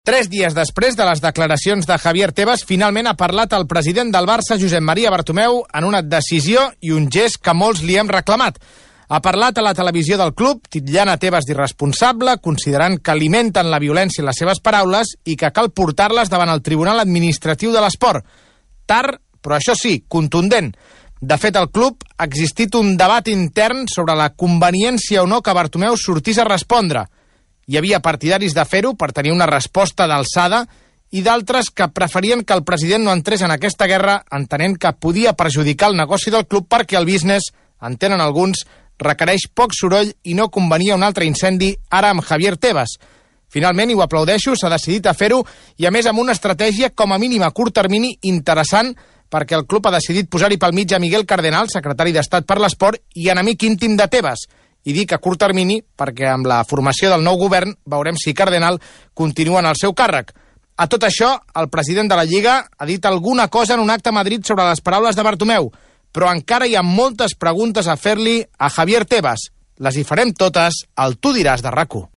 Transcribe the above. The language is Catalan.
3 dies després de les declaracions de Javier Tebas, finalment ha parlat el president del Barça, Josep Maria Bartomeu, en una decisió i un gest que molts li hem reclamat. Ha parlat a la televisió del club, titllant a Tebas d'irresponsable, considerant que alimenten la violència en les seves paraules i que cal portar-les davant el Tribunal Administratiu de l'Esport. Tard, però això sí, contundent. De fet, al club ha existit un debat intern sobre la conveniència o no que Bartomeu sortís a respondre. Hi havia partidaris de fer-ho per tenir una resposta d'alçada i d'altres que preferien que el president no entrés en aquesta guerra entenent que podia perjudicar el negoci del club perquè el business, entenen alguns, requereix poc soroll i no convenia un altre incendi ara amb Javier Tebas. Finalment, i ho aplaudeixo, s'ha decidit a fer-ho i a més amb una estratègia com a mínim a curt termini interessant perquè el club ha decidit posar-hi pel mig a Miguel Cardenal, secretari d'Estat per l'Esport i enemic íntim de Tebas. I dic a curt termini perquè amb la formació del nou govern veurem si Cardenal continua en el seu càrrec. A tot això, el president de la Lliga ha dit alguna cosa en un acte a Madrid sobre les paraules de Bartomeu, però encara hi ha moltes preguntes a fer-li a Javier Tebas. Les hi farem totes al Tu diràs de RAC1.